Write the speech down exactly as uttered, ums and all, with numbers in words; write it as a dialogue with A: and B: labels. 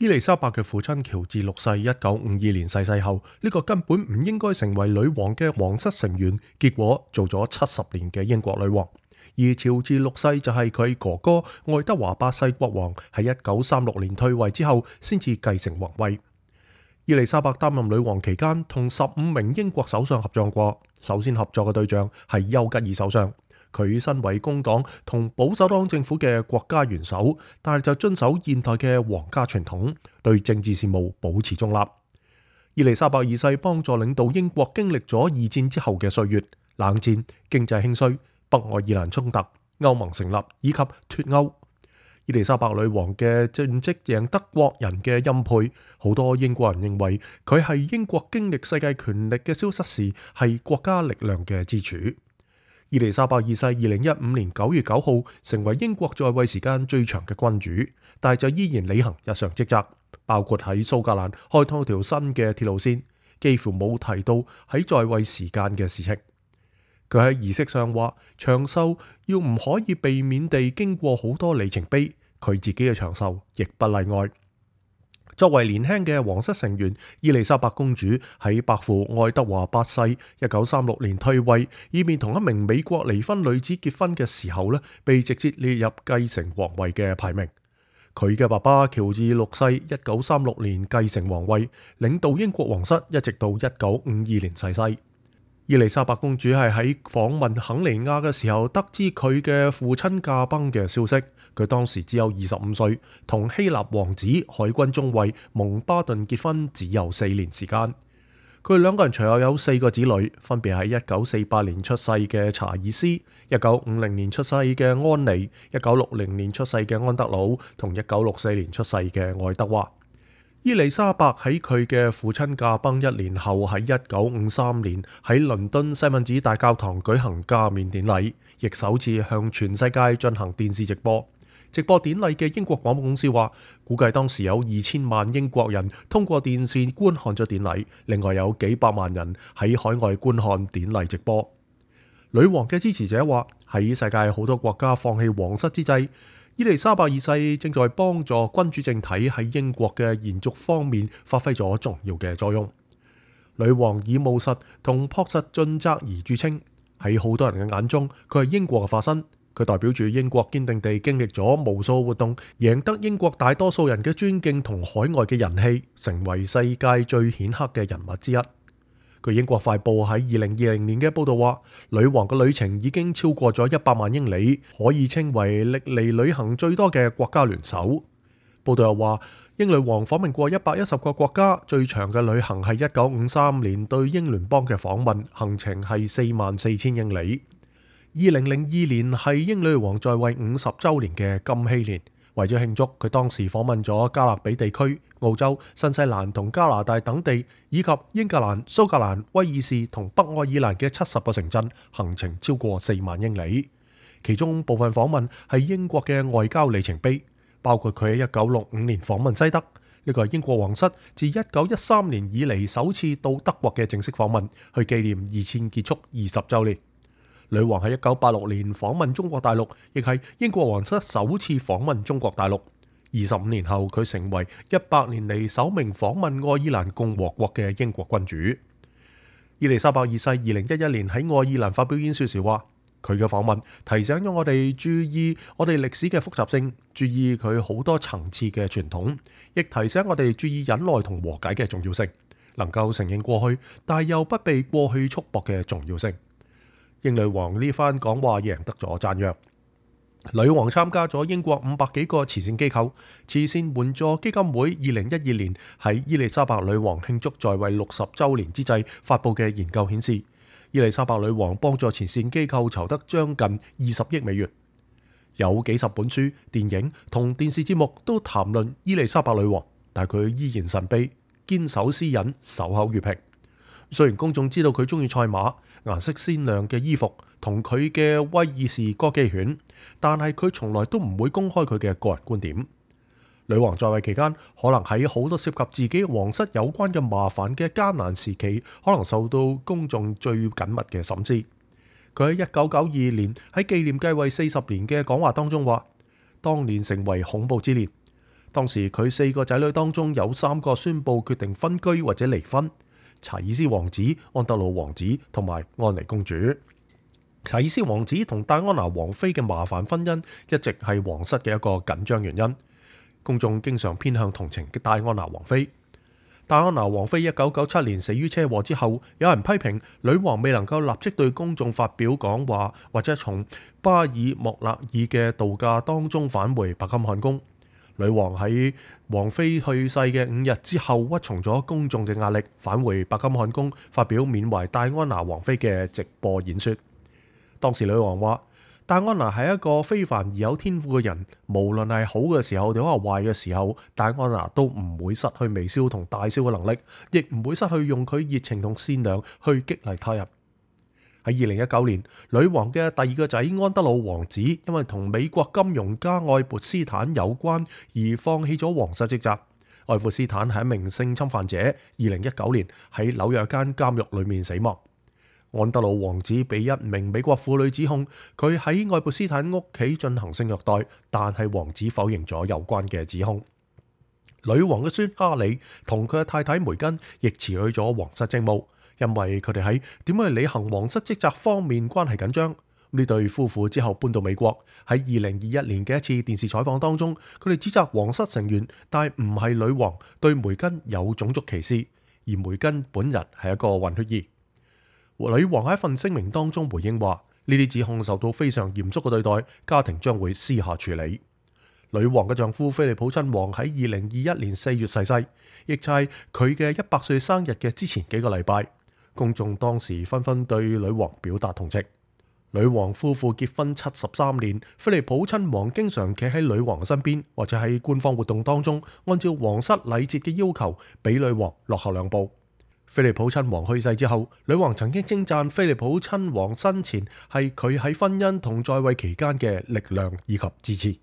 A: 伊麗莎白嘅父親喬治六世一九五二年逝世後，呢個根本唔應該成為女王嘅皇室成員，結果做咗七十年嘅英國女王。而喬治六世就係佢哥哥愛德華八世國王喺一九三六年退位之後，先至繼承皇位。伊麗莎白擔任女王期間，同十五名英國首相合作過。首先合作嘅對象係丘吉爾首相。佢身為工黨同保守黨政府嘅國家元首，但係就遵守現代嘅皇家傳統，對政治事務保持中立。伊麗莎白二世幫助領導英國經歷咗二戰之後嘅歲月，冷戰、經濟興衰、北愛爾蘭衝突、歐盟成立以及脫歐。伊麗莎白女王嘅政績贏得國人嘅欽佩，好多英國人認為佢係英國經歷世界權力嘅消失時係國家力量嘅支柱。伊麗莎白二世二零一五年九月九號成為英國在位時間最長嘅君主，但係就依然履行日常職責，包括喺蘇格蘭開通條新嘅鐵路線，幾乎冇提到喺在，在位時間嘅事情。佢喺儀式上話，長壽要唔可以避免地經過好多里程碑，佢自己嘅長壽亦不例外。作為年輕嘅皇室成員，伊麗莎白公主喺伯父愛德華八世一九三六年退位，以便同一名美國離婚女子結婚嘅時候呢，被直接列入繼承皇位嘅排名。佢嘅爸爸喬治六世一九三六年繼承皇位，領導英國皇室一直到一九五二年逝世。伊麗莎白公主係喺訪問肯尼亞嘅時候得知佢嘅父親駕崩嘅消息。佢當時只有二十五歲，同希臘王子海軍中尉蒙巴頓結婚只有四年時間。佢哋兩個人隨後有四個子女，分別係一九四八年出世嘅查爾斯、一九五零年出世嘅安妮、一九六零年出世嘅安德魯同一九六四年出世嘅愛德華。伊麗莎白喺佢嘅父親駕崩一年後，喺一九五三年喺倫敦西敏寺大教堂舉行加冕典禮，亦首次向全世界進行電視直播。直播典禮嘅英國廣播公司話，估計當時有二千萬英國人通過電視觀看咗典禮，另外有幾百萬人喺海外觀看典禮直播。女王嘅支持者話，喺世界好多國家放棄皇室之際，伊麗莎白二世正在幫助君主政體喺英國嘅延續方面發揮咗重要嘅作用。女王以務實同樸實盡責而著稱，喺好多人嘅眼中，佢係英國嘅化身。佢代表住英國堅定地經歷咗無數活動，贏得英國大多數人嘅尊敬同海外嘅人氣，成為世界最顯赫嘅人物之一。據英國快報喺二零二零年嘅報道話，女王嘅旅程已經超過咗一百萬英里，可以稱為歷嚟旅行最多嘅國家聯手。報道又話，英女王訪問過一百一十個國家，最長嘅旅行係一九五三年對英聯邦嘅訪問，行程係四萬四千英里。二零零二年係英女王在位五十週年嘅金禧年，為咗慶祝，佢當時訪問咗加勒比地區、澳洲、新西蘭同加拿大等地，以及英格蘭、蘇格蘭、威爾士同北愛爾蘭嘅七十個城鎮，行程超過四萬英里。其中部分訪問係英國嘅外交里程碑，包括佢喺一九六五年訪問西德，呢個係英國皇室自一九一三年以嚟首次到德國嘅正式訪問，去紀念二戰結束二十週年。女王喺一九八六年訪問中國大陸，亦係英國皇室首次訪問中國大陸。二十五年後，佢成為一百年嚟首名訪問愛爾蘭共和國嘅英國君主。伊麗莎白二世二零一一年喺愛爾蘭發表演說時話，佢嘅訪問提醒咗我哋注意我哋歷史嘅複雜性，注意佢好多層次嘅傳統，亦提醒我哋注意忍耐同和解嘅重要性，能夠承認過去，但又不被過去束縛嘅重要性。英女王呢番講話贏得咗讚揚。女王參加咗英國五百幾個慈善機構，慈善援助基金會二零一二年喺伊麗莎白女王慶祝在位六十週年之際發佈嘅研究顯示，伊麗莎白女王幫助慈善機構籌得將近二十億美元。有幾十本書、電影同電視節目都談論伊麗莎白女王，但佢依然神秘，堅守私隱，守口如瓶。雖然公眾知道佢中意賽馬、顏色鮮亮嘅衣服同佢嘅威爾士哥基犬，但係佢從來都唔會公開佢嘅個人觀點。女王在位期間，可能喺好多涉及自己皇室有關嘅麻煩嘅艱難時期，可能受到公眾最緊密嘅審視。佢喺一九九二年喺紀念繼位四十年嘅講話當中話，當年成為恐怖之年，當時佢四個仔女當中有三個宣布決定分居或者離婚：查爾斯王子、安德魯王子同埋安妮公主。查爾斯王子同戴安娜王妃嘅麻煩婚姻一直係皇室嘅一個緊張原因，公眾經常偏向同情嘅戴安娜王妃。戴安娜王妃一九九七年死於車禍之後，有人批評女王未能夠立即對公眾發表講話，或者從巴爾莫勒爾嘅度假當中返回白金漢宮。女王喺王妃去世嘅五日之後，屈從咗公眾嘅壓力，返回白金漢宮發表緬懷戴安娜王妃嘅直播演說。當時女王話：戴安娜係一個非凡而有天賦嘅人，無論係好嘅時候定係壞嘅時候，戴安娜都唔會失去微笑同大笑嘅能力，亦唔會失去用佢熱情同善良去激勵他人。喺二零一九年，女王嘅第二個仔安德魯王子因為同美國金融家愛潑斯坦有關而放棄咗皇室職責。愛潑斯坦係一名性侵犯者，二零一九年喺紐約間監獄裏面死亡。安德魯王子被一名美國婦女指控佢喺愛潑斯坦屋企進行性虐待，但係王子否認咗有關嘅指控。女王嘅孫哈里同佢嘅太太梅根亦辭去咗皇室職務，因為佢哋喺點樣去履行皇室職責方面關係緊張。呢對夫婦之後搬到美國，喺二零二一年嘅一次電視採訪當中，佢哋指責皇室成員，但唔係女王對梅根有種族歧視，而梅根本人係一個混血兒。女王喺一份聲明當中回應話：呢啲指控受到非常嚴肅嘅對待，家庭將會私下處理。女王嘅丈夫菲利普親王喺二零二一年四月逝世，亦就係佢嘅一百歲生日嘅之前幾個禮拜。公眾當時紛紛對女王表達同情。女王夫婦結婚七十三年，菲利普親王經常企喺女王身邊，或者喺官方活動當中，按照皇室禮節嘅要求，比女王落後兩步。菲利普親王去世之後，女王曾經稱讚菲利普親王生前係佢喺婚姻同在位期間嘅力量以及支持。